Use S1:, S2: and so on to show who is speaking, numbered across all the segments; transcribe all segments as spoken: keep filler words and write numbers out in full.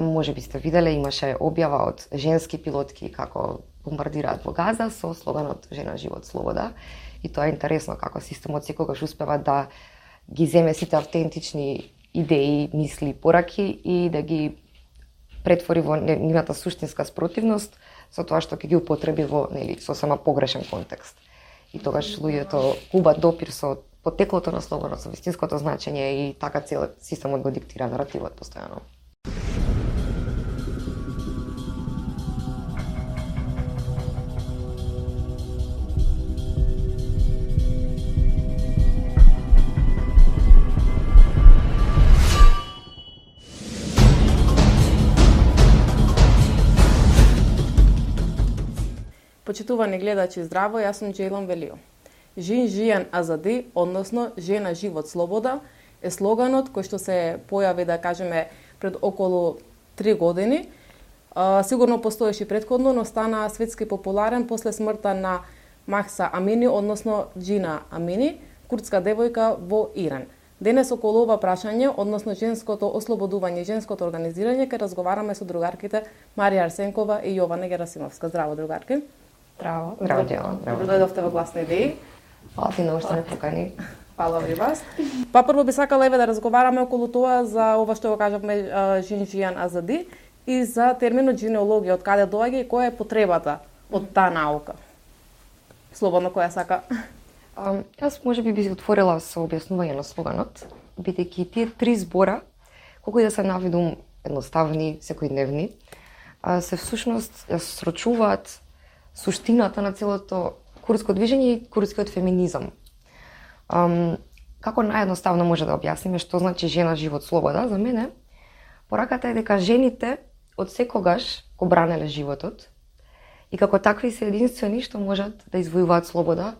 S1: Може би сте виделе, имаше објава од женски пилотки како бомбардираат во Газа со слоганот "Жена, живот, слобода". И тоа е интересно како системот секогаш успева да ги земе сите автентични идеи, мисли, пораки и да ги претвори во нивната суштинска спротивност со тоа што ќе ги употреби во, нели, сосема погрешен контекст. И тогаш луѓето губат допир со потеклото на слоганот, со вистинското значење и така цел системот го диктира наративот постојано.
S2: Почитувани гледачи, здраво, јас сум Џејлан Велио. Жин Жијан Азади, односно Жена, живот, слобода, е слоганот кој што се појави, да кажеме, пред околу три години. А, сигурно постоеше претходно, но стана светски популарен после смртта на Махса Амини, односно Џина Амини, курдска девојка во Иран. Денес околу ова прашање, односно женското ослободување и женското организирање, ќе разговараме со другарките Марија Арсенкова и Јована Герасимовска. Здраво, другарки.
S1: Здраво. Здраво, Џејлан.
S2: Добро дојдовте во Гласни идеи.
S1: Фала ти многу што ме покани.
S2: Фала ви вас. Па прво би сакала еве да разговараме околу тоа за ова што го кажавме Жин Жијан Азади и за терминот генеалогија, од каде доаѓа и која е потребата од таа наука. Слободно која сака.
S1: А, јас може би би се отворила со објаснување на слоганот, бидејќи тие три збора, колку и да се навидум едноставни, секојдневни, се всушност ја срочуваат суштината на целото курдско движење и курдскиот феминизам. Um, како наједноставно може да објасниме што значи жена, живот, слобода, за мене пораката е дека жените од секогаш го бранеле животот и како такви се единствени што можат да извојуваат слобода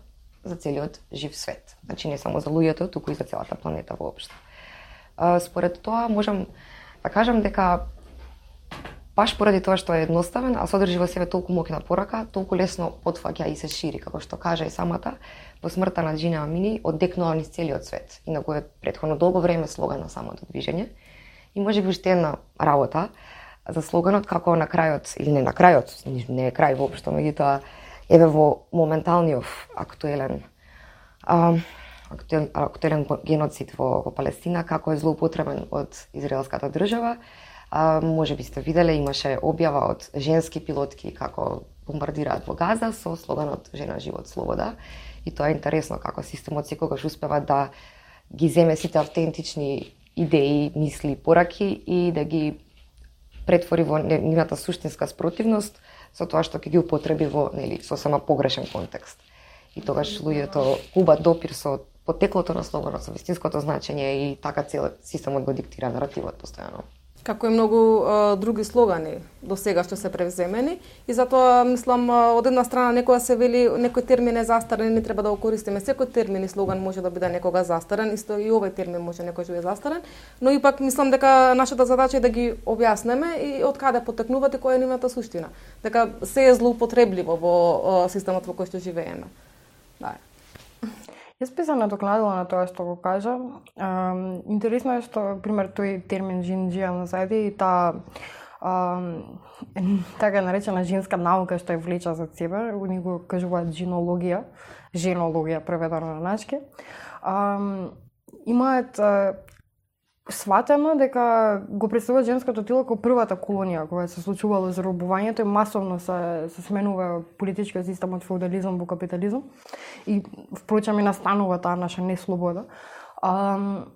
S1: за целиот жив свет. Значи не само за луѓето, туку и за целата планета воопшто. Uh, според тоа можам да кажам дека баш поради тоа што е едноставен, а содржи во себе толку моќна порака, толку лесно потфаќа и се шири, како што кажа и самата, по смртта на Џина Амини оддекнува низ целиот свет. Инаку е претходно долго време слоган на самото движење. И може би уште една работа за слоганот, како на крајот, или не на крајот, не е крај воопшто, меѓутоа еве во моменталниот актуелен а, актуелен, актуелен геноцид во, во Палестина, како е злоупотребен од израелската држава. А, може би сте виделе, имаше објава од женски пилотки како бомбардираат во Газа со слоганот "Жена, живот, слобода". И тоа е интересно како системот секогаш успева да ги земе сите автентични идеи, мисли, пораки и да ги претвори во нивната суштинска спротивност со тоа што ќе ги употреби во, нели, сосема погрешен контекст. И тогаш луѓето губат допир со потеклото на слоганот, со вистинското значење и така цел системот го диктира наративот постојано.
S2: Како и многу а, други слогани до сега што се превземени и затоа мислам од една страна некоја се вели некој термин е застарен, не треба да го користиме. Секој термин и слоган може да биде некога застарен, исто и овој термин може некој да биде застарен, но ипак мислам дека нашата задача е да ги објаснеме и од каде потекнуваат и која е нивната суштина. Дека се е злоупотребливо во а, системот во кој што живееме. Да.
S3: Јас би се надокнадила на тоа што го кажа. Um, интересно е што, пример, тој термин Жин Жијан Азади и таа um, така наречена женска наука што ја влеча за себе, они го кажуваат жинологија, женологија преведено на нашки. Um, имаат uh, сватено дека го представува женското тело како првата колонија кога се случувало заробувањето и масовно се, се сменува политичкиот систем од феудализам во капитализам и впрочем и настанува таа наша неслобода. А,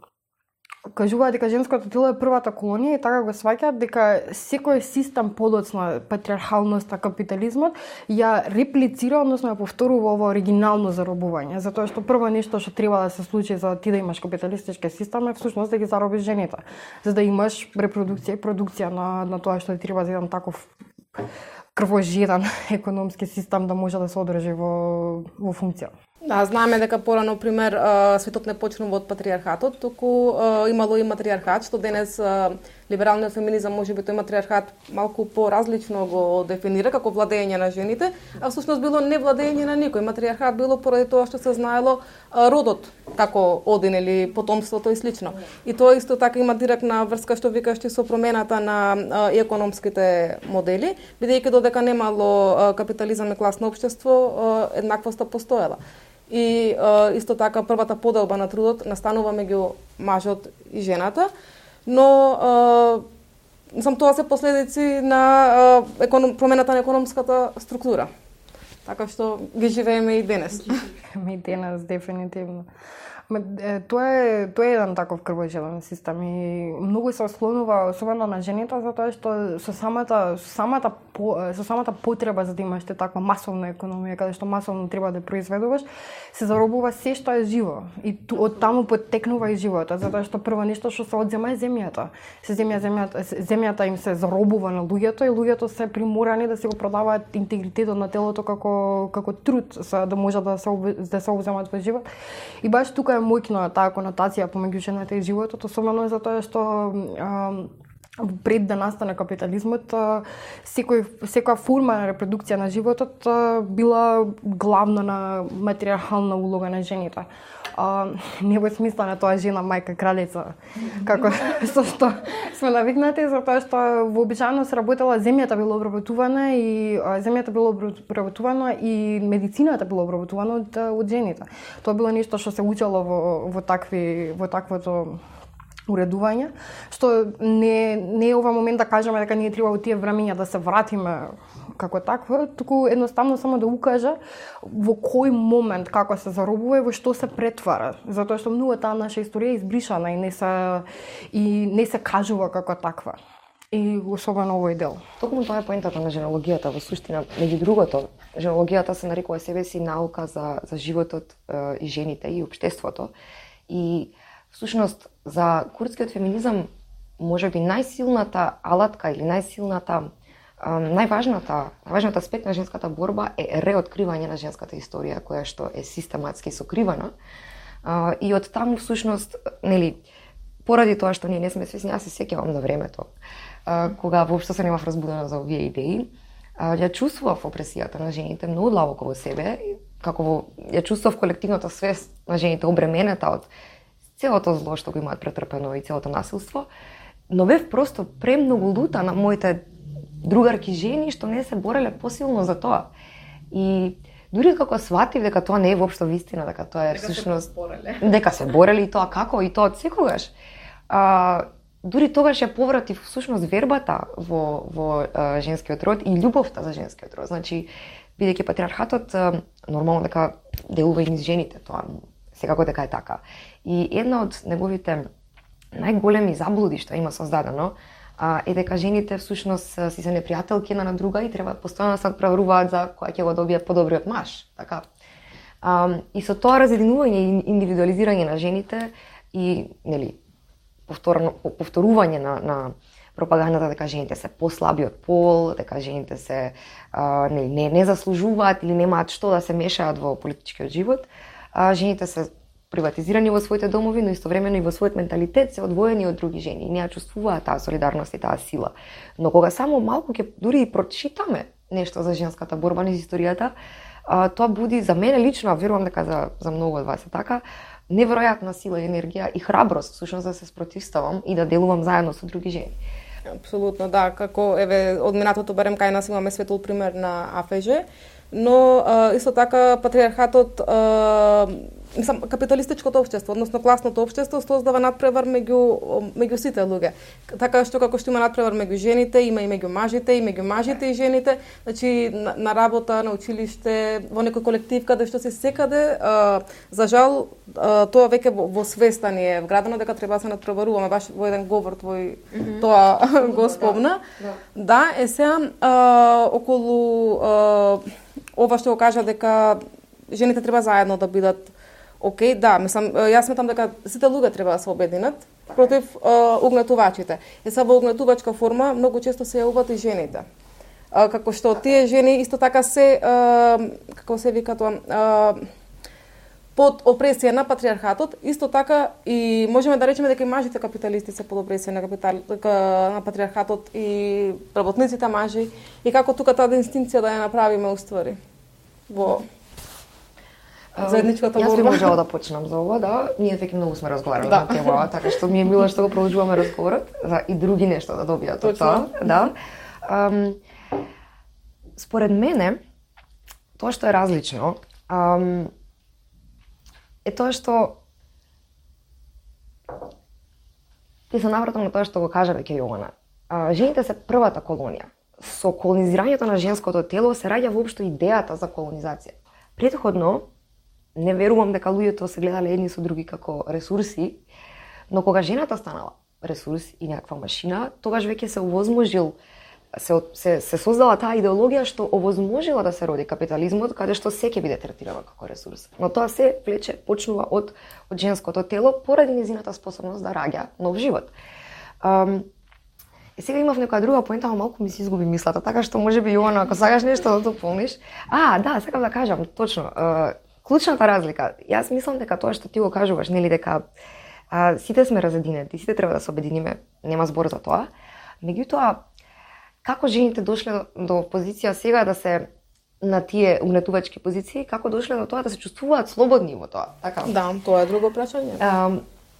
S3: кажуваат дека женското тело е првата колонија и така го сваќаат дека секој систем подоцна патриархалноста, капитализмот ја реплицира, односно ја повторува ово оригинално заробување, затоа што прво нешто што треба да се случи за ти да имаш капиталистички систем е всушност да ги заробиш жените, за да имаш репродукција и продукција на на тоа што ти треба за еден таков крвожеден економски систем да може да се одржи во во функција.
S2: Да, знаеме дека порано, пример, светот не почнува од патриархатот, туку имало и матриархат, што денес либералниот феминизам можеби тој матриархат малку поразлично го дефинира како владење на жените, а всушност било не владење на никој. Матриархат било поради тоа што се знаело родот како один или потомството и слично. И тоа исто така има директна врска што викаш ти со промената на а, економските модели, бидејќи додека немало капитализам и класно општество, еднаквоста постоела. И а, исто така првата поделба на трудот настанува меѓу мажот и жената, но а, сам тоа се последици на а, економ, промената на економската структура. Така што ги живееме и денес.
S3: И денес дефинитивно. Ме, тоа е тоа е еден таков крвожелен систем и многу се ослонува особено на жените затоа што со самата со самата по, со самата потреба за да имаш таква масовна економија каде што масовно треба да произведуваш, се заробува се што е живо и ту, од таму потекнува и животот, затоа што прво нешто што се одзема е земјата. Се земја земјата земјата им се заробува на луѓето и луѓето се приморани да се го продаваат интегритетот на телото како како труд за да можат да се да се одземат во живот. И баш тука е моќна таа конотација помеѓу жената и животот, особено затоа што а, пред да настане капитализмот, секој секоја форма на репродукција на животот била главна на матриархална улога на жените. А, не во смисла на тоа жена, мајка, кралица, како со што сме навикнати, затоа што вообичаено се работела, земјата била обработувана и а, земјата била обработувана и медицината била обработувана од, од жените. Тоа било нешто што се учело во, во такви во таквото уредување, што не не е ова момент да кажеме дека ние треба во тие времења да се вратиме како такво, туку едноставно само да укажа во кој момент како се заробува и во што се претвара, затоа што многу таа наша историја е избришана и не се и не се кажува како таква. И особено овој дел.
S1: Токму тоа е поентата на женологијата во суштина. Меѓу другото, женологијата се нарекува себе си наука за за животот е, и жените и општеството. И всушност за курдскиот феминизам можеби најсилната алатка или најсилната најважната, најважната аспект на женската борба е реоткривање на женската историја, која што е систематски сокривана. И од таму всушност, нели, поради тоа што ние не сме свесни, јас се сеќавам на времето, кога воопшто се немав разбудена за овие идеи, ја чувствував опресијата на жените многу длабоко во себе, како во, ја чувствував колективната свест на жените обременета од целото зло што го имаат претрпено и целото насилство, но бев просто премногу лута на моите другарки жени што не се бореле посилно за тоа. И дури како сватив дека тоа не е воопшто вистина, дека тоа е всушност дека се бореле и тоа како и тоа од секогаш. А, дури тогаш ја повратив всушност вербата во во а, женскиот род и љубовта за женскиот род. Значи, бидејќи патриархатот а, нормално дека делува и низ жените, тоа секако дека е така. И една од неговите најголеми заблуди што има создадено е дека жените всушност си се непријателки една на друга и треба постојано да се надпреваруваат за која ќе го добие подобриот маж, така. А, и со тоа разединување и индивидуализирање на жените и нели повторно повторување на на пропагандата дека жените се послабиот пол, дека жените се а, нели не не заслужуваат или немаат што да се мешаат во политичкиот живот, а, жените се приватизирани во своите домови, но истовремено и во својот менталитет се одвоени од други жени и не ја чувствуваат таа солидарност и таа сила. Но кога само малку ќе дури и прочитаме нешто за женската борба низ историјата, а, тоа буди за мене лично, а верувам дека за за многу од вас е така, неверојатна сила и енергија и храброст всушност да се спротивставам и да делувам заедно со други жени.
S2: Апсолутно, да, како еве од минатото барем кај нас имаме светол пример на АФЖ, но а, исто така патриархатот а, Мислам, капиталистичкото општество, односно класното општество, создава надпревар меѓу меѓу сите луѓе. Така што како што има надпревар меѓу жените, има и меѓу мажите, и меѓу мажите и жените. Значи на, на работа, на училиште, во некој колектив каде што се секаде, а, за жал а, тоа веќе во, во свеста ни е вградено дека треба да се надпреваруваме, баш во еден говор твој mm-hmm. тоа го спомна. Да, да. да е сега а, околу а, ова што го кажа дека жените треба заедно да бидат Океј, okay, да, мислам, јас сметам дека сите луѓе треба да се обединат против uh, угнетувачите. Е са во угнетувачка форма многу често се јавуваат и жените. Uh, како што тие жени исто така се, uh, како се вика тоа, uh, под опресија на патриархатот, исто така и можеме да речеме дека и мажите капиталисти се под опресија на капитал на патриархатот и работниците мажи и како тука таа дистинција да ја направиме уствари во заедничката борба.
S1: Јас би можела да почнам за ова, да. Ние веќе многу сме разговарали да. на тема, така што ми е мило што го продолжуваме разговорот, за и други нешта да добијат од тоа, да. Um, според мене, тоа што е различно, um, е тоа што и се навратам на тоа што го кажа веќе Јована. А, жените се првата колонија. Со колонизирањето на женското тело се раѓа воопшто идејата за колонизација. Претходно, не верувам дека луѓето се гледале едни со други како ресурси, но кога жената станала ресурс и някаква машина, тогаш веќе се овозможил се, се, се создала таа идеологија што овозможила да се роди капитализмот, каде што се ќе биде третирано како ресурс. Но тоа се влече почнува од, од женското тело поради незината способност да раѓа нов живот. Um, и сега имав некоја друга поента, но малку ми се изгуби мислата, така што можеби Јована, ако сакаш нешто да дополниш. А, да, сакам да кажам, точно, uh, клучната разлика. Јас мислам дека тоа што ти го кажуваш, нели дека а, сите сме разединети, сите треба да се обединиме, нема збор за тоа. Меѓутоа, како жените дошле до позиција сега да се на тие угнетувачки позиции, како дошле до тоа да се чувствуваат слободни во тоа, така?
S2: Да, тоа е друго прашање.
S1: Um,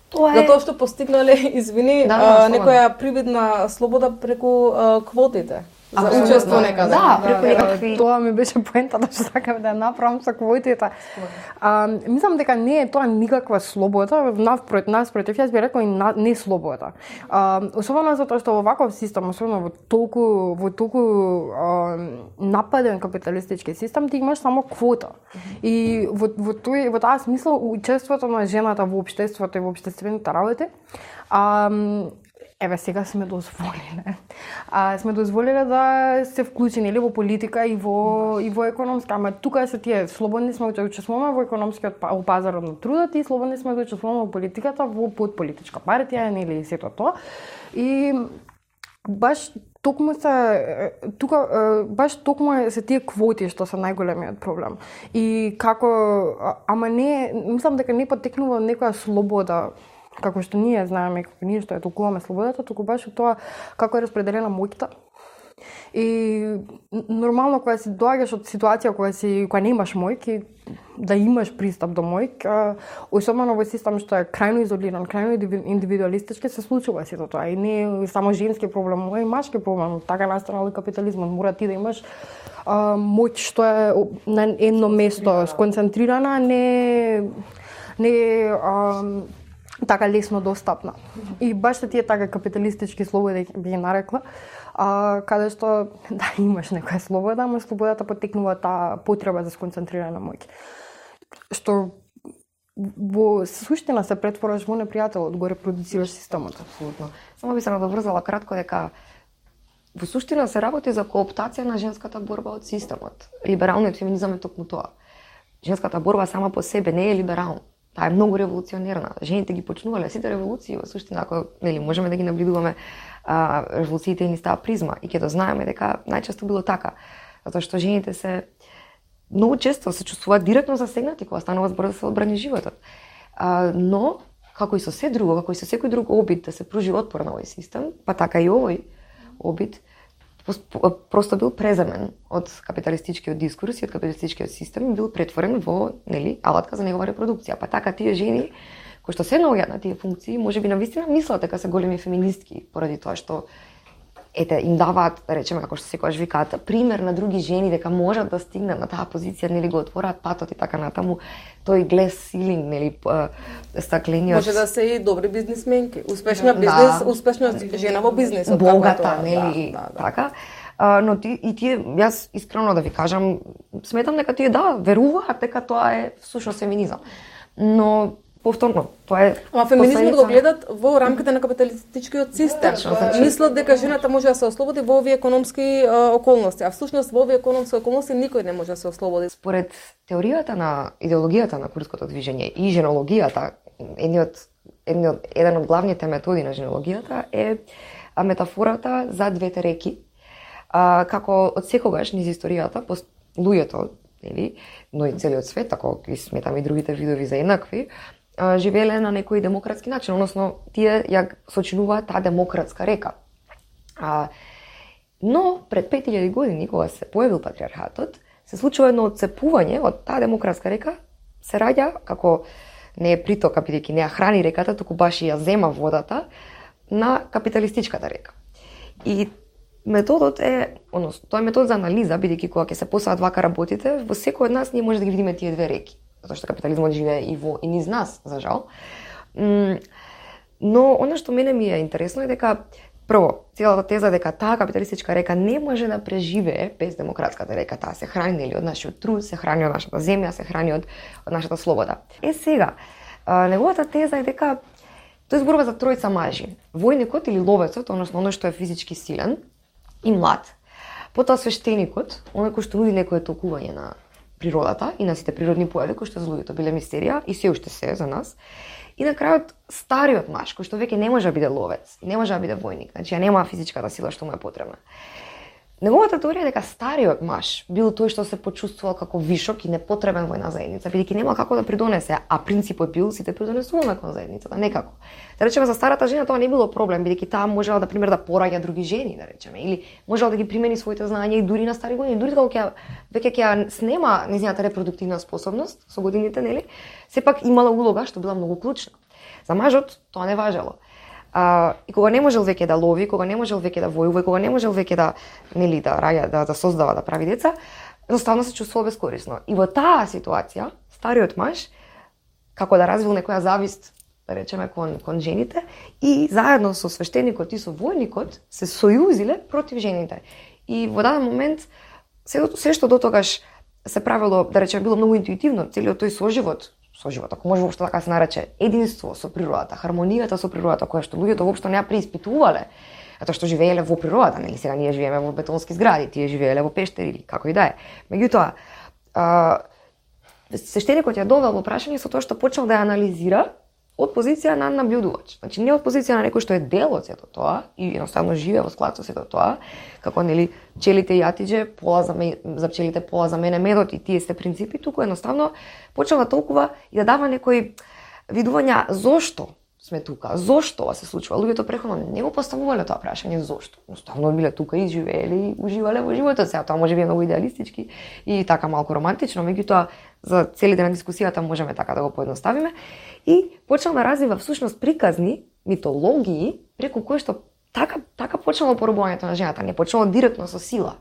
S1: тоа е...
S2: Затоа што постигнале, извини,
S1: да, да,
S2: а, некоја привидна слобода преку а, квотите. За
S1: Абсолютно.
S2: учество некаде.
S1: Да, преку некакви...
S3: Тоа ми беше поентата што сакам да ја направам со квотите. А, мислам дека не е тоа никаква слобода, навпрот нас против јас би рекла и на, не слобода. А, особено затоа што во ваков систем, особено во толку во толку а, нападен капиталистички систем, ти имаш само квота. И во во тој во таа смисла учеството на жената во општеството и во општествените работи, а, еве сега сме дозволиле. А сме дозволиле да се вклучени или во политика и во и во економска, ама тука се тие слободни сме да учествуваме во економскиот во пазарот на трудот и слободни сме да учествуваме во политиката, во подполитичка партија или сето тоа. И баш токму се тука баш токму се тие квоти што се најголемиот проблем. И како ама не мислам дека не потекнува некоја слобода како што ние знаеме, како ние што ја толкуваме слободата, туку баш од тоа како е распределена моќта. И нормално кога си доаѓаш од ситуација кога си кога немаш моќ, да имаш пристап до моќ, особено во систем што е крајно изолиран, крајно индивидуалистички, се случува сето тоа. И не е само женски проблем, но и машки проблем. Така настанал и капитализмот. Мора ти да имаш а, моќ што е на едно место сконцентрирана, не не а, така лесно достапна. И баш тие така капиталистички слободи би ги нарекла, а, каде што да имаш некоја слобода, ама слободата потекнува таа потреба за сконцентрирана моќ. Што во суштина се претвораш во непријателот, го репродуцираш системот.
S1: Апсолутно. Само би се надоврзала кратко дека во суштина се работи за кооптација на женската борба од системот. Либералниот феминизам е токму тоа. Женската борба сама по себе не е либерална. Таа е многу револуционерна. Жените ги почнувале сите револуции во суштина, ако нели можеме да ги наблюдуваме а, револуциите ни става призма и ќе да знаеме дека најчесто било така, затоа што жените се многу често се чувствуваат директно засегнати кога станува збор да се одбрани животот. А, но како и со се друго, како и со секој друг обид да се пружи отпор на овој систем, па така и овој обид просто бил преземен од капиталистичкиот дискурс и од капиталистичкиот систем и бил претворен во, нели, алатка за негова репродукција. Па така тие жени кои што се наоѓаат на тие функции, можеби навистина мислат дека се големи феминистки поради тоа што ете им даваат, да речеме како што секогаш викаат, пример на други жени дека можат да стигнат на таа позиција, нели го отвораат патот и така натаму, тој глас силинг, нели, стаклениот.
S2: Може да се и добри бизнисменки, успешна бизнис, да. Успешна жена во бизнисот,
S1: богата, нели, да, да, да. Така. А, но ти, и тие, јас искрено да ви кажам, сметам дека тие да веруваат дека тоа е всушност феминизам. Но повторно, тоа е
S2: Ама феминизмот го гледат во рамките на капиталистичкиот систем. Мислат дека жената може да се ослободи во овие економски а, околности, а всушност во овие економски околности никој не може да се ослободи.
S1: Според теоријата на идеологијата на курското движење и женологијата, едниот едниот еден од главните методи на женологијата е метафората за двете реки. А, како од секогаш низ историјата луѓето нели, но и целиот свет, ако ги сметаме и другите видови за еднакви, живееле на некој демократски начин, односно тие ја сочинуваат таа демократска река. А, но пред пет илјади години, кога се појавил патриархатот, се случува едно отцепување од таа демократска река, се раѓа како не е притока, бидејќи не ја храни реката, туку баш ја зема водата на капиталистичката река. И методот е, односно, тоа е метод за анализа, бидејќи кога ќе се посаат вака работите, во секој од нас ние може да ги видиме тие две реки, затоа што капитализмот живее и во и низ нас, за жал. Но она што мене ми е интересно е дека прво, целата теза дека таа капиталистичка река не може да преживее без демократската река, таа се храни нели од нашиот труд, се храни од нашата земја, се храни од, од нашата слобода. Е сега, а, неговата теза е дека тој зборува за тројца мажи. Војникот или ловецот, односно оној што е физички силен и млад, потоа свештеникот, оној кој што нуди некое толкување на природата и на сите природни појави кои што за луѓето биле мистерија и се уште се за нас. И на крајот стариот маж, кој што веќе не може да биде ловец, не може да биде војник, значи ја нема физичката сила што му е потребна. Неговата теорија е дека стариот маж бил тој што се почувствувал како вишок и непотребен во една заедница, бидејќи нема како да придонесе, а принципот бил сите придонесуваме кон заедницата, некако. Да речеме за старата жена тоа не било проблем, бидејќи таа можела да пример да пораѓа други жени, да речеме, или можела да ги примени своите знаења и дури на стари години, дури кога ќе веќе ќе ја снема нејзината репродуктивна способност со годините, нели? Сепак имала улога што била многу клучна. За мажот тоа не важело. А, и кога не можел веќе да лови, кога не можел веќе да војува, кога не можел веќе да нели да раја, да, да создава, да прави деца, едноставно се чувствувал безкорисно. И во таа ситуација, стариот маж како да развил некоја завист, да речеме кон кон жените и заедно со свештеникот и со војникот се сојузиле против жените. И во даден момент се, се што дотогаш се правило, да речеме, било многу интуитивно, целиот тој соживот соживот, ако може воопшто така се нарече, единство со природата, хармонијата со природата, која што луѓето воопшто не ја преиспитувале, затоа што живееле во природата, нели сега ние живееме во бетонски згради, тие живееле во пештери или како и да е. Меѓутоа, свештеникот ја довел во прашање со тоа што почнал да ја анализира од позиција на набљудувач. Значи не од позиција на некој што е дел од сето тоа и едноставно живее во склад со сето тоа, како нели пчелите и јатиџе, пола за ме, за пчелите пола за мене медот и тие се принципи, туку едноставно почнал да толкува и да дава некои видувања зошто сме тука, зошто ова се случува. Луѓето претходно не го поставувале тоа прашање зошто. Едноставно биле тука и живееле и уживале во животот. Сега тоа може би е многу идеалистички и така малку романтично, меѓутоа за целите на дискусијата можеме така да го поедноставиме. И почнал да развива всушност приказни, митологии, преку кои што така така почнало порабувањето на жената, не почнало директно со сила.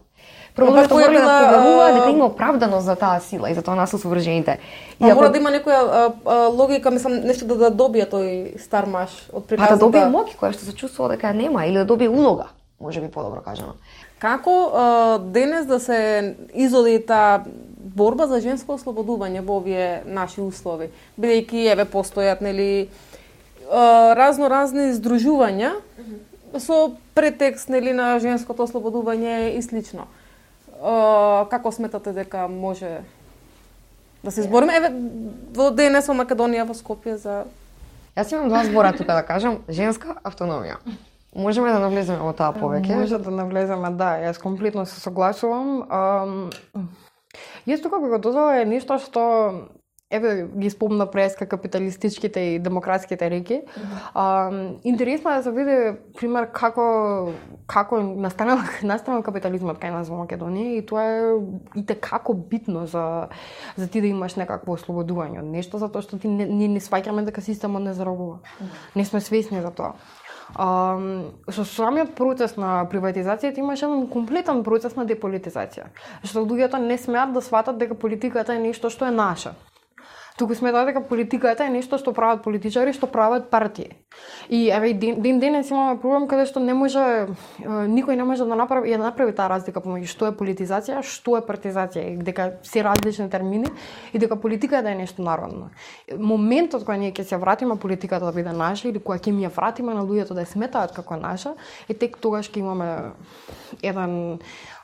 S1: Прво луѓето морале да поверуваат дека има оправданост за таа сила и за тоа насил со вржените.
S2: И ако... мора да има некоја а, а, логика, мислам, нешто да, да добие тој стар маж од приказната.
S1: Па да добие моќ која што се чувствува дека нема или да добие улога, може би подобро кажано.
S2: Како а, денес да се изоди таа борба за женско ослободување во овие наши услови, бидејќи еве постојат нели разно разни здружувања mm-hmm. со претекст нели на женското ослободување и слично. Uh, како сметате дека може да се избориме еве во денес во Македонија, во Скопје за...
S1: Јас имам два збора тука да кажам, женска автономија. Можеме да навлеземе во таа повеќе?
S3: Може да навлеземе, да, јас комплетно се согласувам. Um, јас тука би го додала е нешто што еве ги спомна преска капиталистичките и демократските реки. А, интересно е да се види пример како како настанал настанал капитализмот кај нас во Македонија и тоа е и те како битно за за ти да имаш некакво ослободување од нешто, затоа што ти не не, не сваќаме дека системот не заробува. Не сме свесни за тоа. А, со самиот процес на приватизацијата имаше еден комплетен процес на деполитизација. Што луѓето не смеат да сватат дека политиката е нешто што е наше. Туку сметат дека политиката е нешто што прават политичари, што прават партии. И еве ден, ден денес имаме проблем каде што не може никој не може да направи ја направи таа разлика помеѓу што е политизација, што е партизација, и дека се различни термини и дека политиката е нешто народно. Моментот кога ние ќе се вратиме политиката да биде наша или кога ќе ми ја вратиме на луѓето да ја сметаат како наша, е тек тогаш ќе имаме еден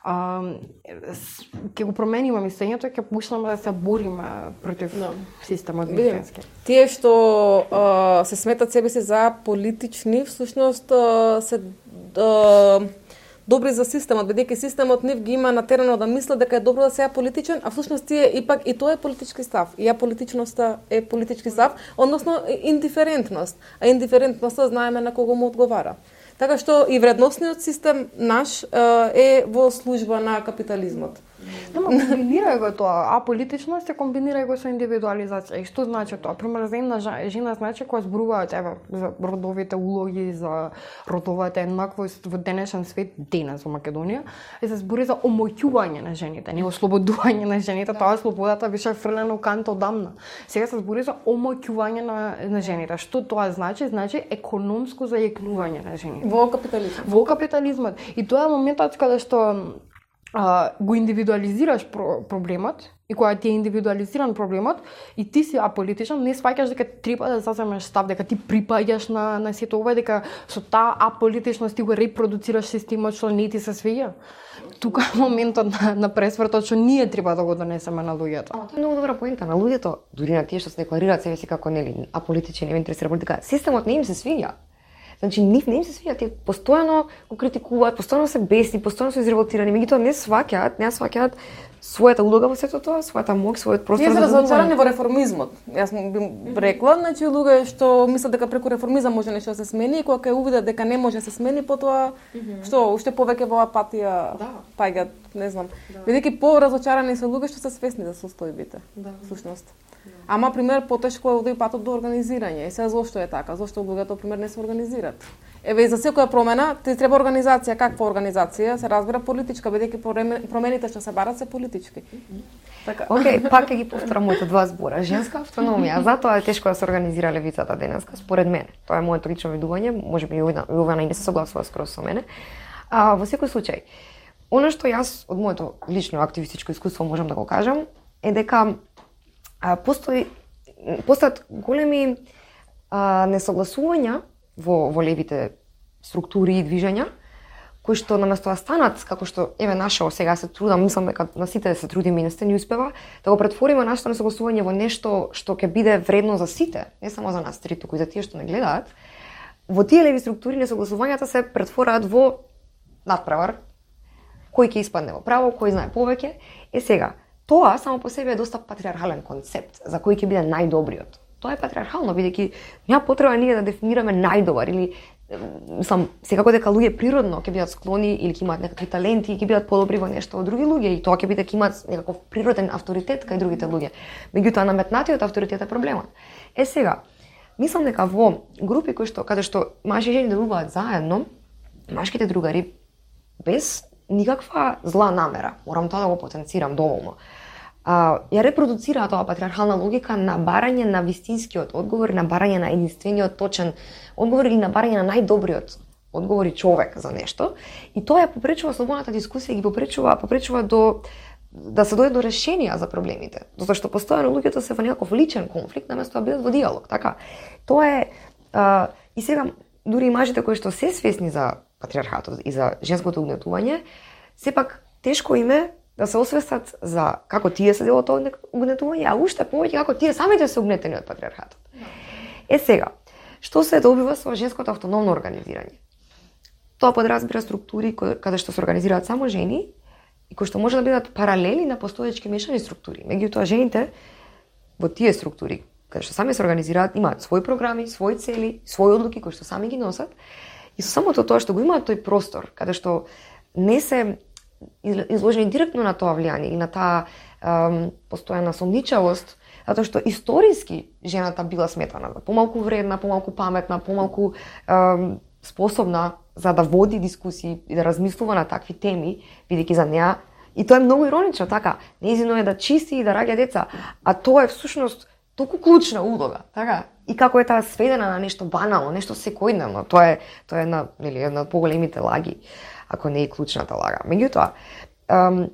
S3: ќе го промениме мислењето и ќе почнеме да се бориме против no. системот вистински.
S2: Тие што а, се сметат себе си за политични, всушност а, се а, добри за системот, бидејќи системот нив ги има натерано да мислат дека е добро да се ја политичен, а всушност тие ипак и тоа е политички став. И ја политичноста е политички став, односно индиферентност. А индиферентноста знаеме на кого му одговара. Така што и вредносниот систем наш е во служба на капитализмот.
S3: Нема, комбинирај го тоа, а политичност се комбинирај го со индивидуализација. И што значи тоа? Пример, за една жена значи кога зборуваат еве за родовите улоги, за родовата еднаквост во денешен свет, денес во Македонија, и се збори за омоќување на жените, не ослободување на жените, тоа слободата више фрлена у канта одамна. Сега се збори за омоќување на, на жените. Што тоа значи? Значи економско зајакнување на жените.
S2: Во капитализмот.
S3: Во капитализмот. И тоа е моментот каде што Uh, го индивидуализираш про проблемот и кога ти е индивидуализиран проблемот и ти си аполитичен, не сваќаш дека треба да заземеш став, дека ти припаѓаш на, на сето ова, дека со таа аполитичност ти го репродуцираш системот што не ти се свиѓа. Тука е моментот на, на пресвртот што ние треба да го донесеме на луѓето.
S1: А, тоа е многу добра поента. На луѓето, дури на тие што се декларираат себе си како нели аполитични, не интересира политика, системот не им се свиѓа. Значи, нив не им се свиѓа, тие постојано го критикуваат, постојано се бесни, постојано се изреволтирани, меѓутоа не сваќаат, не сваќаат својата улога во сето тоа, својата моќ, својот простор
S2: за
S1: за
S2: разочарани во реформизмот. Јас би рекла, значи луѓе што мислат дека преку реформизам може нешто да се смени и кога ќе увидат дека не може да се смени, потоа што уште повеќе во апатија да. Паѓаат, не знам. Да. Бидејќи поразочарани се луѓе што се свесни за состојбите. Да. Всушност. Ама, пример, потешко е овде патот до организирање. И сега зошто е така? Зошто луѓето, пример, не се организираат? Еве, и за секоја промена, ти треба организација. Каква организација? Се разбира политичка, бидејќи промените што се барат се политички.
S1: Така. Океј, okay, пак ќе ги повторам моите два збора. Женска автономија. Затоа е тешко да се организира левицата денеска, според мене. Тоа е моето лично видување, можеби и Јована и не се согласува скоро со мене. А, во секој случај, она што јас од моето лично активистичко искуство можам да го кажам е дека А, постои постојат големи а, несогласувања во, во левите структури и движења, кои што наместо да станат, како што еве нашо сега се трудам, мислам дека на сите се трудиме и не сте ни успева, да го претвориме нашето несогласување во нешто што ќе биде вредно за сите, не само за нас три, туку и за тие што не гледаат. Во тие леви структури несогласувањата се претвораат во надпревар, кој ќе испадне во право, кој знае повеќе. Е сега, тоа само по себе е доста патриархален концепт за кој ќе биде најдобриот. Тоа е патриархално, бидејќи няма потреба ние да дефинираме најдобар или сам секако дека луѓе природно ќе бидат склони или ќе имаат некакви таленти и ќе бидат подобри во нешто од други луѓе и тоа ќе биде дека имаат некаков природен авторитет кај другите луѓе. Меѓутоа наметнатиот авторитет е проблемот. Е сега, мислам дека во групи кои што каде што мажи и жени делуваат заедно, машките другари без никаква зла намера, морам тоа да го потенцирам доволно, а, ја репродуцира тоа патриархална логика на барање на вистинскиот одговор, на барање на единствениот точен одговор или на барање на најдобриот одговор и човек за нешто. И тоа ја попречува слободната дискусија и ги попречува, попречува до да се дојде до решенија за проблемите. Затоа што постојано луѓето се во некаков личен конфликт наместо да бидат во диалог, така. Тоа е а, и сега дури и мажите кои што се свесни за патриархатот и за женското угнетување, сепак тешко им е да се освестат за како тие се дел од тоа угнетување, а уште повеќе како тие самите се угнетени од патриархатот. Е сега, што се добива со женското автономно организирање? Тоа подразбира структури каде што се организираат само жени и кои што може да бидат паралели на постоечки мешани структури. Меѓутоа жените во тие структури каде што сами се организираат имаат своји програми, своји цели, своји одлуки кои што сами ги носат. И со самото тоа што го имаат тој простор, каде што не се изложени директно на тоа влијание и на таа ем, постојана сомничавост, затоа што историски жената била сметана за помалку вредна, помалку паметна, помалку ем, способна за да води дискусии и да размислува на такви теми, бидејќи за неа, и тоа е многу иронично, така, нејзино е да чисти и да раѓа деца, а тоа е всушност толку клучна улога, така? И како е таа сведена на нешто банално, нешто секојдневно, тоа е тоа е една, нели, една од поголемите лаги, ако не е клучната лага. Меѓутоа, ем,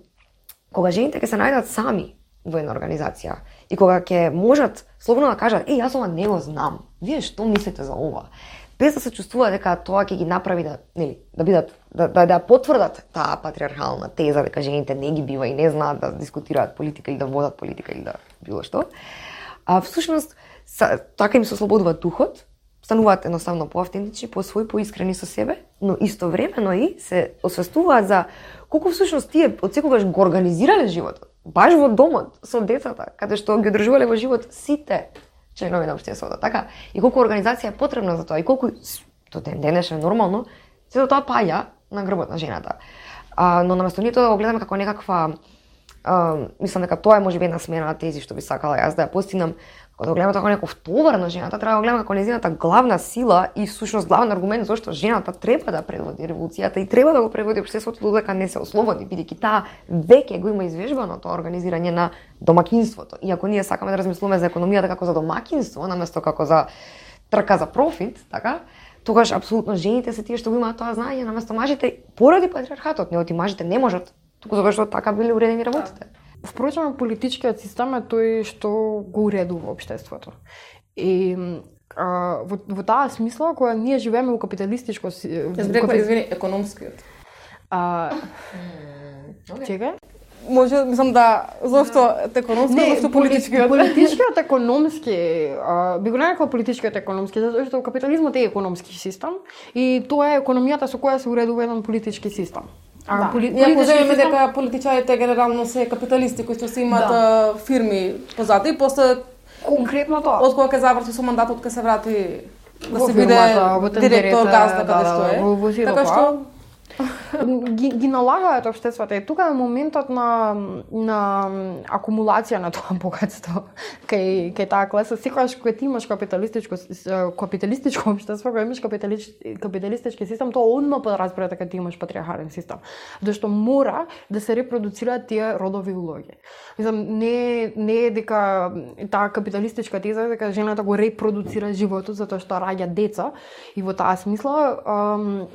S1: кога жените ќе се најдат сами во една организација и кога ќе можат слободно да кажат, еј, јас ова не го знам, вие што мислите за ова? Без да се чувствува дека тоа ќе ги направи да, нели, да бидат да да, да потврдат таа патриархална теза дека жените не ги бива и не знаат да дискутираат политика или да водат политика или да било што. А всушност така им се ослободува духот стануваат едноставно поавтентични, по свој, поискрени со себе, но истовремено и се освестуваат за колку всушност тие од секогаш го организирале животот, баш во домот со децата, каде што ги одржувале во живот сите членови на општеството, така? И колку организација е потребна за тоа и колку до ден денешен нормално, сето тоа паѓа на грбот на жената. А, но наместо ние тоа да го гледаме како некаква, а, мислам дека тоа е можеби една смена на тези што би сакала јас да ја постигнам, кога да го гледаме како некој товар на жената, треба да го гледаме како нејзината главна сила и всушност главен аргумент зашто жената треба да предводи револуцијата и треба да го предводи општеството додека не се ослободи, бидејќи таа веќе го има извежбано тоа организирање на домакинството. И ако ние сакаме да размислуваме за економијата како за домакинство, наместо како за трка за профит, така, тогаш апсолутно жените се тие што го имаат тоа знаење наместо мажите поради патриархатот, не оти мажите не можат, туку затоа што така биле уредени работите.
S3: Впрочем, политичкиот систем е тој што го уредува општеството. И а, во, во таа смисла, кога ние живееме во капиталистичко...
S2: Јас рекла, извини, економскиот.
S3: А,
S1: Okay.
S3: Чекај?
S2: Може, мислам да, зошто економски,
S3: Не,
S2: зошто политичкиот?
S3: Политичкиот економски, а, би го нарекла политичкиот економски, затоа што капитализмот е економски систем и тоа е економијата со која се уредува еден политички систем.
S2: А, да. Поли, Ние поземеме систем... дека политичарите генерално се капиталисти кои што се имаат да. фирми позади и после
S3: конкретно тоа.
S2: Од кога ќе заврши со мандатот, ќе се врати да се биде директор газда каде што е.
S3: Во, во
S2: така што
S3: ги, ги налагаат општеството и тука е моментот на на акумулација на тоа богатство кај кај таа класа. Секогаш кога ти имаш капиталистичко капиталистичко општество, кога имаш капиталистички капиталистички систем, тоа одма подразбира дека ти имаш патриархален систем, зашто мора да се репродуцираат тие родови улоги. Мислам, не не е дека таа капиталистичка теза дека жената го репродуцира животот затоа што раѓа деца и во таа смисла ам,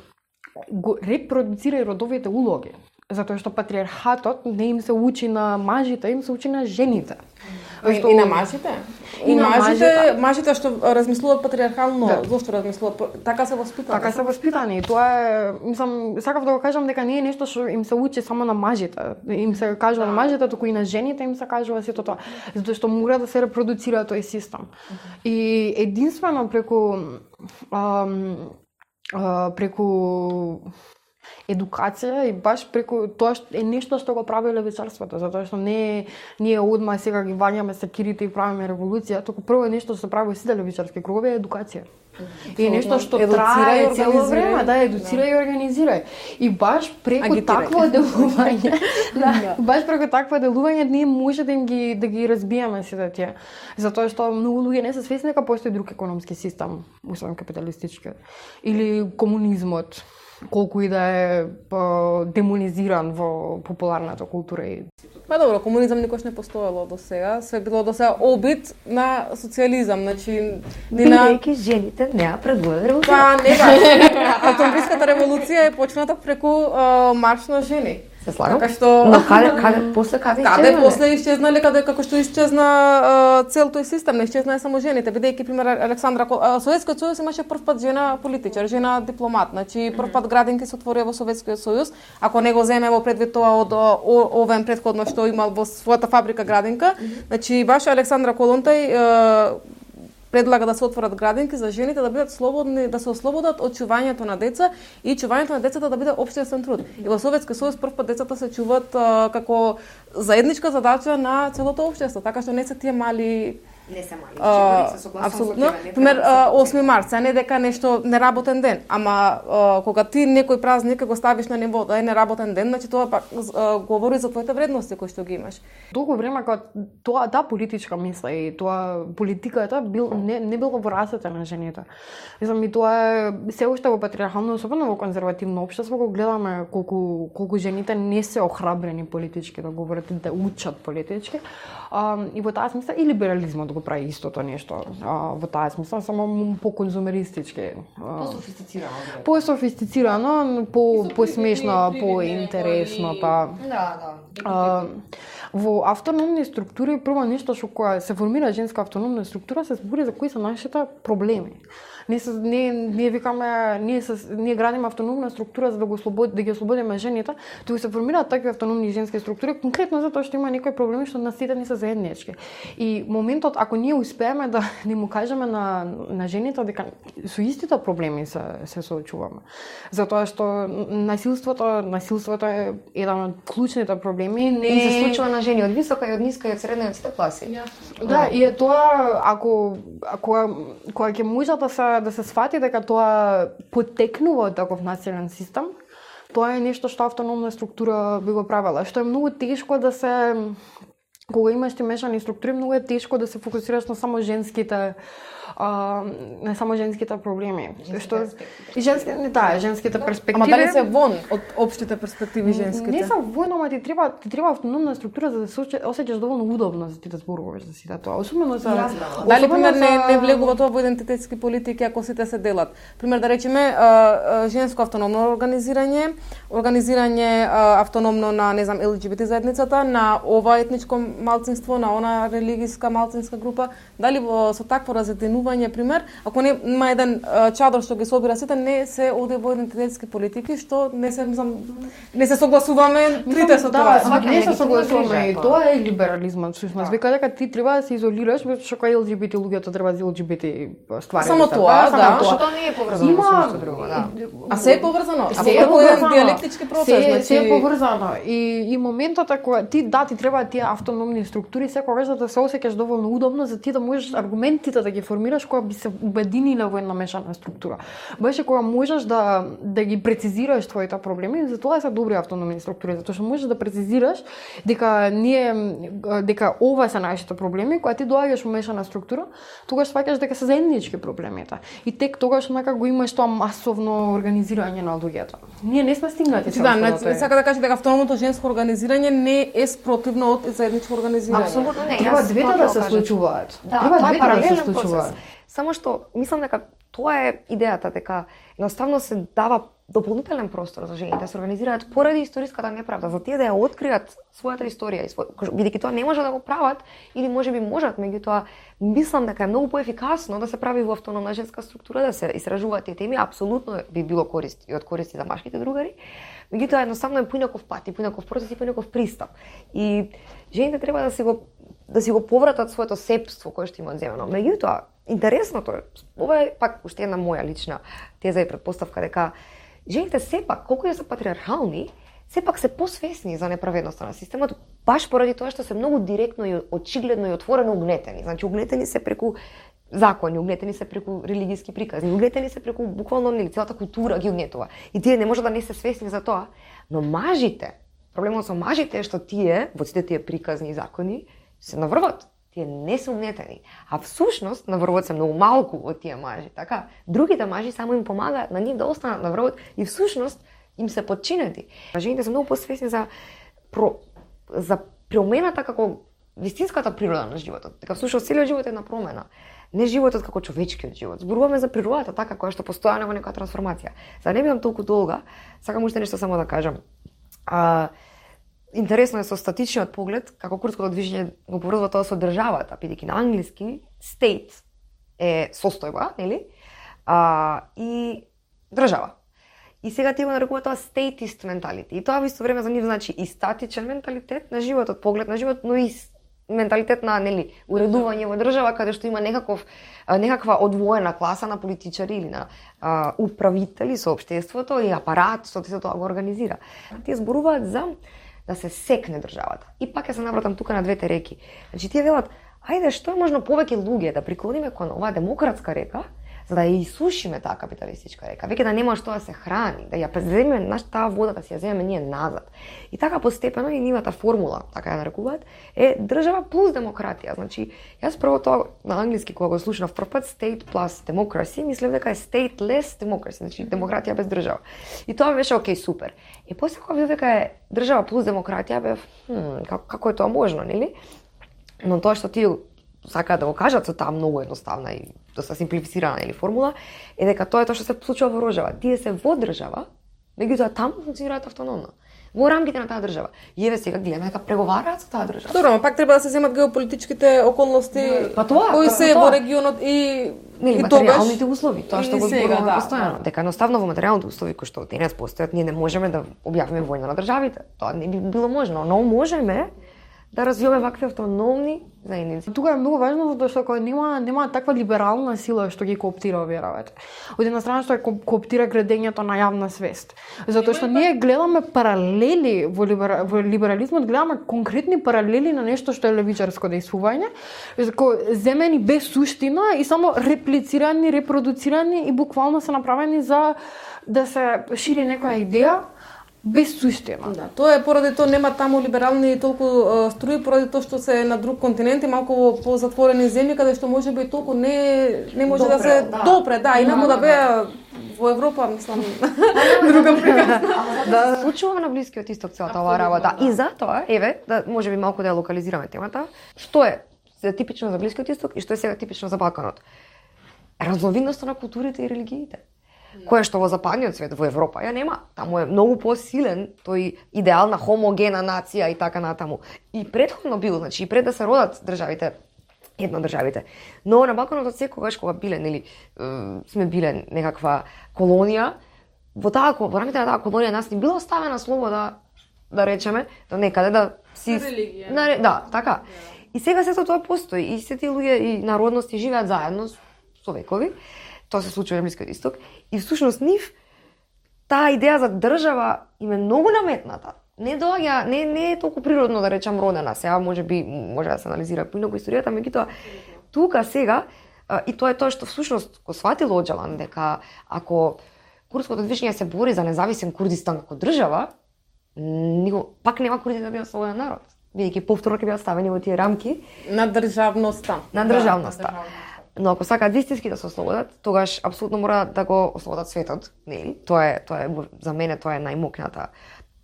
S3: го репродуцира и родовите улоги, затоа што патриархатот не им се учи на мажите, им се учи на жените.
S2: И, што... и на мажите? И, и на мажите, мажите, мажите што размислуваат патриархално, да. Зошто размислуваат? Така се воспитани.
S3: Така се воспитани. Тоа е, мислам, сакав да го кажам дека не е нешто што им се учи само на мажите. Им се кажува на мажите, туку и на жените им се кажува сето тоа, затоа што мора да се репродуцира тој систем. И единствено преку ам, Uh, преку едукација и баш преку тоа што е нешто што го прави левичарството, затоа што не ние одма сега ги ваѓаме секирите и правиме револуција, туку прво е нешто што се прави во сите левичарски кругови е едукација. И е нешто што трае цело време, да, едуцира да. И организира. И баш преку агитира. Такво делување, да, баш преку такво делување ние може да им ги да ги разбиеме сите тие. Затоа што многу луѓе не се свесни дека постои друг економски систем, освен капиталистички или комунизмот, колку и да е демонизиран во популарната култура.
S2: Па добро, комунизам никош не постоело до сега, све било до сега обид на социализам, значи
S1: бидејќи жените не ја предводат револуција.
S2: Па не баш. Октомвриската револуција е почната преку uh, марш на жени.
S1: Се слагам.
S2: Така што
S1: но каде каде после каде
S2: каде после исчезнале, каде како што исчезна uh, цел тој систем, не исчезна само жените, бидејќи пример Александра uh, Советскиот сојуз имаше прв пат жена политичар, жена дипломат, значи прв пат градинки се отворија во Советскиот сојуз, ако не го земе во предвид тоа од овен претходно што имал во својата фабрика градинка, значи баш Александра Колонтај uh, предлага да се отворат градинки за жените да бидат слободни, да се ослободат од чувањето на деца и чувањето на децата да биде општествен труд. И во Советскиот сојуз прв пат децата се чуваат а, како заедничка задача на целото општество, така што не се тие мали
S1: не се мали, а, се согласувам
S2: апсолутно. Пример осми март, се не дека нешто неработен ден, ама а, кога ти некој празник го ставиш на ниво да е неработен ден, значи тоа пак а, говори за твоите вредности кои што ги имаш.
S3: Долго време кога тоа таа политичка мисла и тоа политиката бил не не било во рацете на жените. Мислам и тоа е се уште во патриархално, особено во конзервативно општество, го гледаме колку колку жените не се охрабрени политички да говорат, да учат политички. А, и во таа смисла и либерализмот го прави истото нешто. А, во таа смисла само по-конзумеристички.
S1: По-софистицирано.
S3: По-софистицирано, по по-смешно, по-интересно, па.
S1: Да, да.
S3: А, во автономни структури прво нешто што кога се формира женска автономна структура се збори за кои се нашите проблеми. Не се не ние викаме ние се ние градиме автономна структура за да го ослободи да ги ослободиме жените, туку се формираат такви автономни женски структури конкретно затоа што има некои проблеми што на сите не се заеднички. И моментот ако ние успееме да не му кажеме на на жените дека со истите проблеми се се соочуваме. Затоа што насилството, насилството е еден од клучните проблеми, не
S1: и се случува на жени од висока и од ниска и од средна и од сите класи.
S3: Yeah. Да, и е тоа ако ако кога ќе може да се да се сфати дека тоа потекнува од таков насилен систем, тоа е нешто што автономна структура би го правела, што е многу тешко да се кога имаш ти мешани структури, многу е тешко да се фокусираш на само женските а, не само женските проблеми. Што и женски не да, женските перспективи.
S2: Ама дали се вон од општите перспективи женските?
S3: Не се вон, ама ти треба ти треба автономна структура за да се осеќаш доволно удобно за ти да зборуваш за сите тоа. Особено за
S2: Јас, дали пример за... не не влегува тоа во идентитетски политики ако сите се делат. Пример да речеме женско автономно организирање, организирање автономно на не знам ел џи би ти заедницата, на ова етничко малцинство, на она религиска малцинска група, дали во со такво разединување пример, ако не има еден чадор што ги собира сите, не се оде во идентитетски политики, што не се знам, не се согласуваме трите со тоа.
S3: Да, не се согласуваме и тоа е либерализмот, всушност. Вика дека ти треба да се изолираш, што кога ел џи би ти луѓето треба да ел џи би ти ствари.
S2: Само тоа, да.
S1: Што тоа не е поврзано со нешто друго, да.
S2: А се е поврзано,
S3: се е
S2: поврзано. Диалектички процес,
S3: се,
S2: значи
S3: се е поврзано. И и моментот кога ти да ти треба тие автономни структури секогаш да се осеќаш доволно удобно за ти да можеш аргументите да ги формираш кога би се обединиле во една мешана структура. Беше кога можеш да да ги прецизираш твоите проблеми, затоа се добри автономни структури, затоа што можеш да прецизираш дека ние дека ова се нашите проблеми, кога ти доаѓаш во мешана структура, тогаш сваќаш дека се заеднички проблемите. И тек тогаш нака го имаш тоа масовно организирање на луѓето. Ние не сме стигнати
S2: со тоа. Да, сака да кажам дека автономното женско организирање не е спротивно од заедничко организирање.
S1: Апсолутно не.
S3: Треба двете да се случуваат.
S1: Да,
S3: Треба
S1: тоа е
S3: двете да се
S1: паралелен
S3: случуваат.
S1: Само што мислам дека тоа е идејата, дека едноставно се дава дополнителен простор за жените да се организираат поради историската неправда, за тие да ја откријат својата историја и свој, бидејќи тоа не може да го прават или можеби можат, меѓутоа мислам дека е многу поефикасно да се прави во автономна женска структура, да се истражуваат тие теми, апсолутно би било корист и од користи за машките другари. Меѓутоа едноставно е поинаков пат, и поинаков процес и поинаков пристап. И жените треба да си го да си го повратат своето сепство кое што имаат земено. Меѓутоа, интересното е, ова е пак уште една моја лична теза и претпоставка дека жените сепак, колку и да се патриархални, сепак се посвесни за неправедноста на системот, баш поради тоа што се многу директно и очигледно и отворено угнетени. Значи, угнетени се преку закони, угнетени се преку религиски приказни, угнетени се преку буквално нели целата култура ги угнетува. И тие не може да не се свесни за тоа, но мажите, проблемот со мажите е што тие, во сите тие приказни и закони, се наврват. Тие не се угнетени. А всушност наврвот се многу малку од тие мажи, така? Другите мажи само им помагаат на нив да останат наврвот и всушност им се подчинети. Жените се многу посвесни за про, за промената како вистинската природа на животот. Дека всушност целиот живот е една промена. Не животот како човечкиот живот. Зборуваме за природата така која што постојано во некоја трансформација. За да не бидам толку долга, сакам уште нешто само да кажам. А, интересно е со статичниот поглед, како курското движење го поврзува тоа со државата, бидејќи на англиски state е состојба, нели? А, и држава. И сега тие го нарекуваат тоа statist mentality. И тоа во исто време за нив значи и статичен менталитет на животот, поглед на живот, но и менталитет на нели уредување во држава каде што има некаков некаква одвоена класа на политичари или на а, управители со општеството и апарат што се тоа го организира. Тие зборуваат за да се секне државата. И пак ја се навратам тука на двете реки. Значи тие велат, ајде што е можно повеќе луѓе да приклониме кон оваа демократска река, за да ја исушиме таа капиталистичка река. Веќе да нема што да се храни, да ја преземеме наш таа вода, да си ја земеме ние назад. И така постепено и нивната формула, така ја нарекуваат, е држава плюс демократија. Значи, јас прво тоа на англиски кога го слушнав прв пат state plus democracy, мислев дека е stateless democracy, значи демократија без држава. И тоа беше окей, супер. И после кога видов дека е држава плюс демократија, бев, хм, како, како е тоа можно, нели? Но тоа што тие сакаат да го кажат со таа многу едноставна и доста симплифицирана или формула, е дека тоа е тоа што се случува во Рожава. Тие се во држава, меѓутоа таму функционираат автономно. во рамките на таа држава. И еве сега гледаме дека преговараат со таа држава.
S2: Добро, но пак треба да се земат геополитичките околности
S1: па тоа,
S2: кои
S1: па,
S2: се
S1: па,
S2: во регионот и
S1: нели
S2: и
S1: материјалните услови, тоа што
S2: и
S1: го
S2: сега,
S1: зборуваме
S2: да,
S1: постојано, дека едноставно во материјалните услови кои што денес постојат, ние не можеме да објавиме војна на државите. Тоа не би било можно, но можеме да развиваме вакви автономни заедници.
S3: Тука е многу важно затоа што кога нема нема таква либерална сила што ги кооптира овие работи. Од една страна што е кооптира градењето на јавна свест. Затоа што ние гледаме паралели во, либера, во либерализмот, гледаме конкретни паралели на нешто што е левичарско дејствување, кои земени без суштина и само реплицирани, репродуцирани и буквално се направени за да се шири некоја идеја без суштина.
S2: Да, тоа е поради тоа нема таму либерални толку uh, струи, поради тоа што се на друг континент и малку во позатворени земји каде што можеби толку не не може
S1: допре,
S2: да се
S1: да.
S2: допре, да, инаку да беа во Европа, мислам, друга прика.
S1: Да, се случува на Блискиот исток целата оваа работа. И затоа, еве, да можеби малку да ја локализираме темата, што е типично за Блискиот исток и што е сега типично за Балканот. Разновидноста на културите и религиите. Кое што во западниот свет, во Европа, ја нема. Таму е многу посилен тој идеал на хомогена нација и така натаму. И претходно бил, значи и пред да се родат државите, едно државите. Но на Балканот секогаш кога биле, нели, сме биле некаква колонија, во таа во рамките на таа колонија нас не била оставена слобода, да речеме, да некаде да си
S2: религија.
S1: На, да, така. И сега сето тоа постои и сите тие луѓе и народности живеат заедно со векови. Тоа се случува на Блискиот исток и всушност нив таа идеја за држава им е многу наметната. Не доаѓа, не не е толку природно да речам родена. Сега можеби може да се анализира поинаку историјата, меѓутоа тука сега и тоа е тоа што всушност го сватил Оџалан дека ако курдското движење се бори за независен Курдистан како држава, него пак нема курдите да бидат слободен народ, бидејќи повторно ќе бидат ставени во тие рамки
S2: на државноста.
S1: На државноста. Но ако сакаат вистински да се ослободат, тогаш апсолутно мора да го ослободат светот, нели? Тоа е тоа е за мене тоа е најмокната,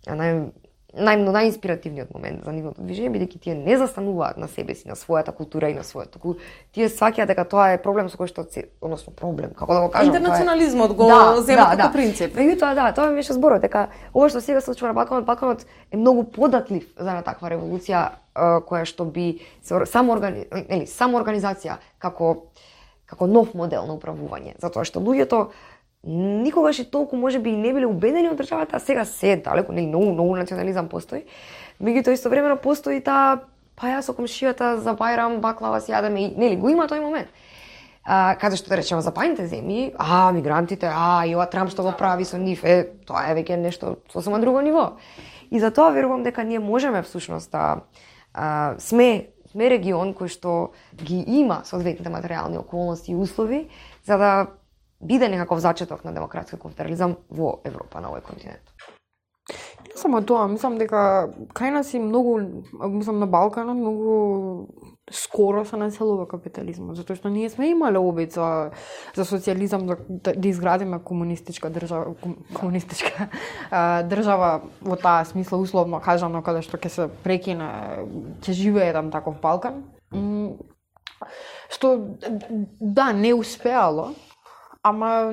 S1: нај нај најинспиративниот момент за нивното движење, бидејќи тие не застануваат на себе си, на својата култура и на своето. Туку тие сваќаат дека тоа е проблем со кој што се, односно проблем, како да го кажам,
S2: интернационализмот го
S1: да,
S2: зема
S1: да,
S2: како
S1: да.
S2: принцип.
S1: Меѓутоа да, тоа ми беше зборот дека ова што сега се случува на Балканот, Балканот е многу податлив за една таква револуција која што би само органи, нели, само организација како како нов модел на управување, затоа што луѓето никогаш и толку можеби и не биле убедени од државата, а сега се далеку, нели, многу многу национализам постои. Меѓутоа истовремено постои таа па ја со комшијата за Бајрам баклава си јадеме и нели го има тој момент. А, каде што да речеме западните земји, а мигрантите, а и ова Трамп што го прави со нив, е тоа е веќе нешто сосема друго ниво. И затоа верувам дека ние можеме всушност да а, сме сме регион кој што ги има соодветните материјални околности и услови за да биде некаков зачеток на демократски конфедерализам во Европа, на овој континент.
S3: Не само тоа, мислам дека кај нас и многу, мислам на Балканот, многу скоро се населува капитализмот, затоа што ние сме имале обид за, за социјализам, да, да изградиме комунистичка држава, комунистичка а, држава во таа смисла, условно кажано, каде што ќе се прекине, ќе живее еден таков Балкан. Што, да, не успеало, ама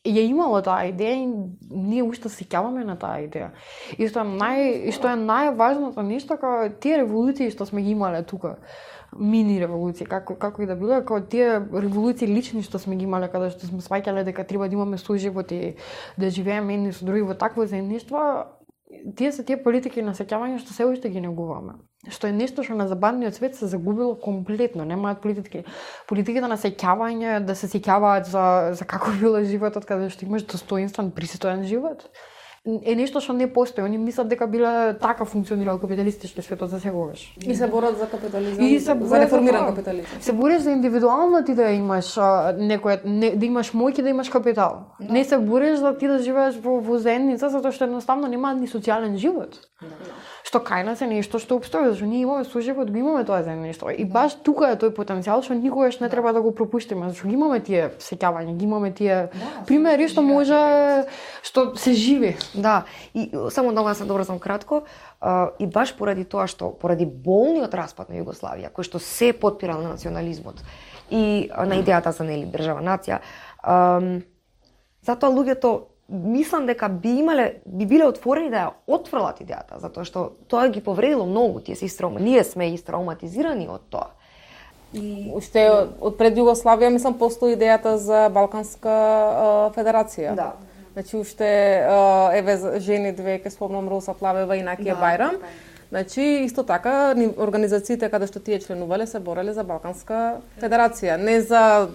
S3: ја имало таа идеја и ние уште се сеќаваме на таа идеја. И што е нај што е најважното нешто како тие револуции што сме ги имале тука, мини револуции, како како и да било, како тие револуции лични што сме ги имале каде што сме сваќале дека треба да имаме соживот и да живееме едни со други во такво заедништво, тие се тие политики на сеќавање што се уште ги негуваме. Што е нешто што на западниот свет се загубило комплетно. Немаат политики. Политиките на сеќавање, да се сеќаваат за, за како било животот, каде што имаш достоинствен, пристоен живот, е нешто што не постои. Они мислат дека биле така функционирал капиталистички светот за секогаш.
S2: И се борат за капитализам,
S3: и се
S2: за реформиран капитализам.
S3: Се бориш за индивидуално ти да имаш а, некој, не, да имаш моќ и да имаш капитал. Да. Не се бориш за ти да живееш во, во заедница, затоа што едноставно нема ни социјален живот. Да. Што кај нас е нешто што обстои, зашто ние имаме соживот, го имаме тоа заедништво. И баш тука е тој потенцијал што никогаш не треба да го пропуштиме, зашто ги имаме тие сеќавања, ги имаме тие да, примери што може што се живи.
S1: Да, и само да го се добрзам кратко, а, и баш поради тоа што поради болниот распад на Југославија, кој што се потпира на национализмот и а, на идејата за нели држава нација, а, затоа луѓето мислам дека би имале, би биле отворени да ја отфрлат идејата, затоа што тоа ги повредило многу, тие се истраума, ние сме истрауматизирани од тоа.
S2: И уште од пред Југославија мислам постои идејата за Балканска а, федерација.
S1: Да.
S2: Значи уште а, еве жени две ке спомнам Роса Плавева и Накија
S1: да,
S2: Бајрам. Значи исто така организациите каде што тие членувале се бореле за Балканска федерација, не за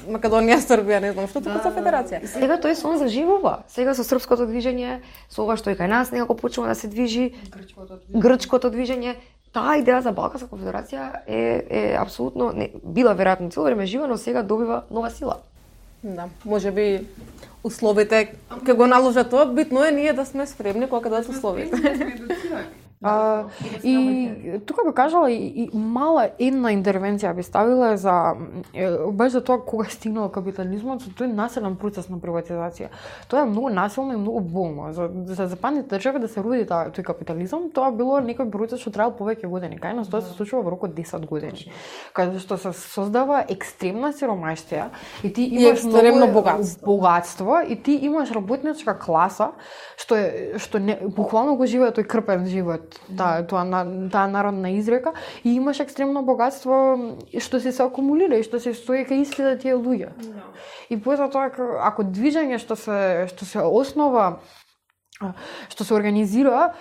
S2: Македонија, Србија, не знам што, туку за федерација.
S1: И сега тој сон заживува. Сега со српското движење, со ова што и кај нас некако почнува да се движи, грчкото движење, грчкото движење, таа идеја за Балканска конфедерација е е апсолутно не била веројатно цело време жива, но сега добива нова сила.
S2: Да, можеби условите ќе го наложат тоа, битно е ние да сме спремни кога ќе дадат условите.
S3: А, и тука би кажала и, и мала една интервенција би ставила за баш за тоа кога стигнал капитализмот, со тој населен процес на приватизација. Тоа е многу насилно и многу болно. За за западните држави да се роди таа тој капитализам, тоа било некој процес што требал повеќе години. Кај нас тоа се случува во рок од десет години. Каде што се создава екстремна сиромаштија и ти имаш
S2: екстремно богатство.
S3: богатство и ти имаш работничка класа што е што не буквално го живее тој крпен живот. Таа тоа таа народна изрека и имаш екстремно богатство што се се акумулира и што се стои кај истите тие луѓе. No. И после тоа ако движење што се што се основа што се организира,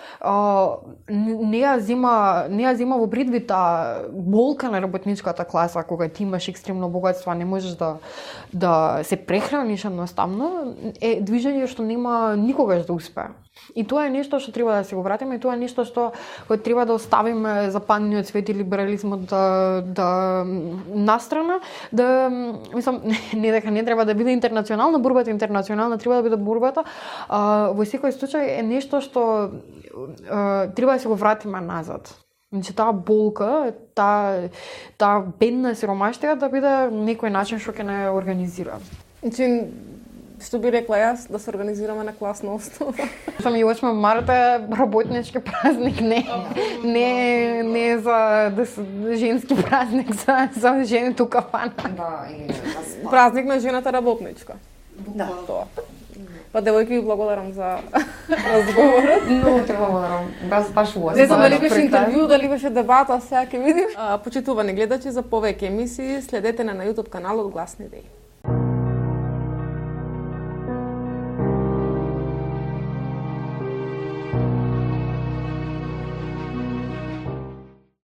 S3: не ја зема не ја зема во предвид таа болка на работничката класа кога ти имаш екстремно богатство, а не можеш да да се прехраниш едноставно, е движење што нема никогаш да успее. И тоа е нешто што треба да се го вратиме, и тоа е нешто што кој треба да оставиме западниот свет и либерализмот да да настрана, да мислам не дека не треба да биде интернационална борбата, интернационална треба да биде борбата, а, во секој случај е нешто што а, треба да се го вратиме назад. Значи таа болка, таа таа бедна сиромаштија да биде некој начин што ќе не организира.
S2: Значи што би рекла јас, да се организираме на класна основа.
S3: Сами осма марта е работнички празник, не не не за да женски празник за за жените у кафана.
S1: Да, и
S2: празник на жената работничка.
S1: Да.
S2: Тоа. Па девојки ви благодарам за разговорот.
S1: Многу те благодарам. Баш баш убаво.
S2: Не знам дали беше интервју, дали беше дебата, сега ќе видим. Почитувани гледачи, за повеќе емисии следете на на YouTube каналот Гласни идеи.